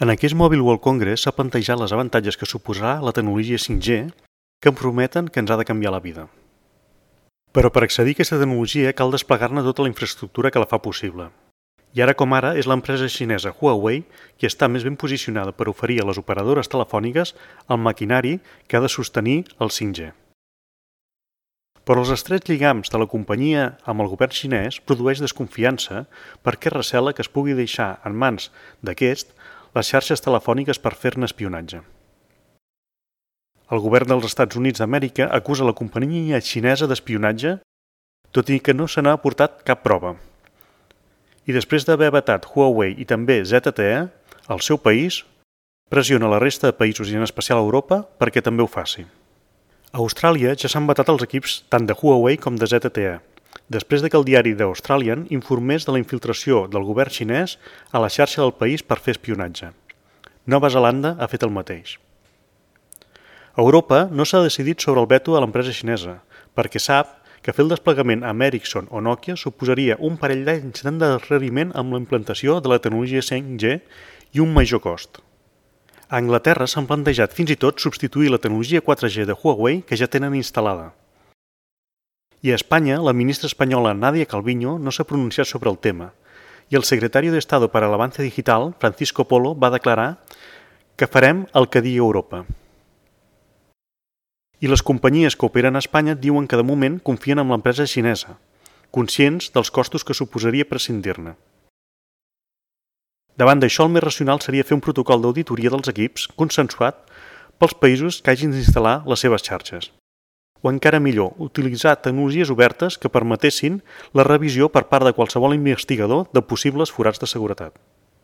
En aquest Mobile World Congress s'ha plantejat els avantatges que suposarà la tecnologia 5G que em prometen que ens ha de canviar la vida. Però per accedir a aquesta tecnologia cal desplegar-ne tota la infraestructura que la fa possible. I ara com ara és l'empresa xinesa Huawei qui està més ben posicionada per oferir a les operadores telefòniques el maquinari que ha de sostenir el 5G. Però els estrets lligams de la companyia amb el govern xinès produeix desconfiança perquè recela que es pugui deixar en mans d'aquest les xarxes telefòniques per fer-ne espionatge. El govern dels Estats Units d'Amèrica acusa la companyia xinesa d'espionatge, tot i que no se n'ha aportat cap prova. I després d'haver vetat Huawei i també ZTE, el seu país pressiona la resta de països i en especial Europa perquè també ho faci. A Austràlia ja s'han vetat els equips tant de Huawei com de ZTE, després que el diari The Australian informés de la infiltració del govern xinès a la xarxa del país per fer espionatge. Nova Zelanda ha fet el mateix. Europa no s'ha decidit sobre el veto a l'empresa xinesa, perquè sap que fer el desplegament amb Ericsson o Nokia suposaria un parell d'anys d'endarreriment amb la implantació de la tecnologia 5G i un major cost. A Anglaterra s'han plantejat fins i tot substituir la tecnologia 4G de Huawei que ja tenen instal·lada. I a Espanya, la ministra espanyola Nadia Calviño no s'ha pronunciat sobre el tema i el secretario de Estado para el Avance Digital, Francisco Polo, va declarar que farem el que digui Europa. I les companyies que operen a Espanya diuen que de moment confien en l'empresa xinesa, conscients dels costos que suposaria prescindir-ne. Davant d'això, el més racional seria fer un protocol d'auditoria dels equips consensuat pels països que hagin d'instal·lar les seves xarxes. O encara millor, utilitzar tecnologies obertes que permetessin la revisió per part de qualsevol investigador de possibles forats de seguretat.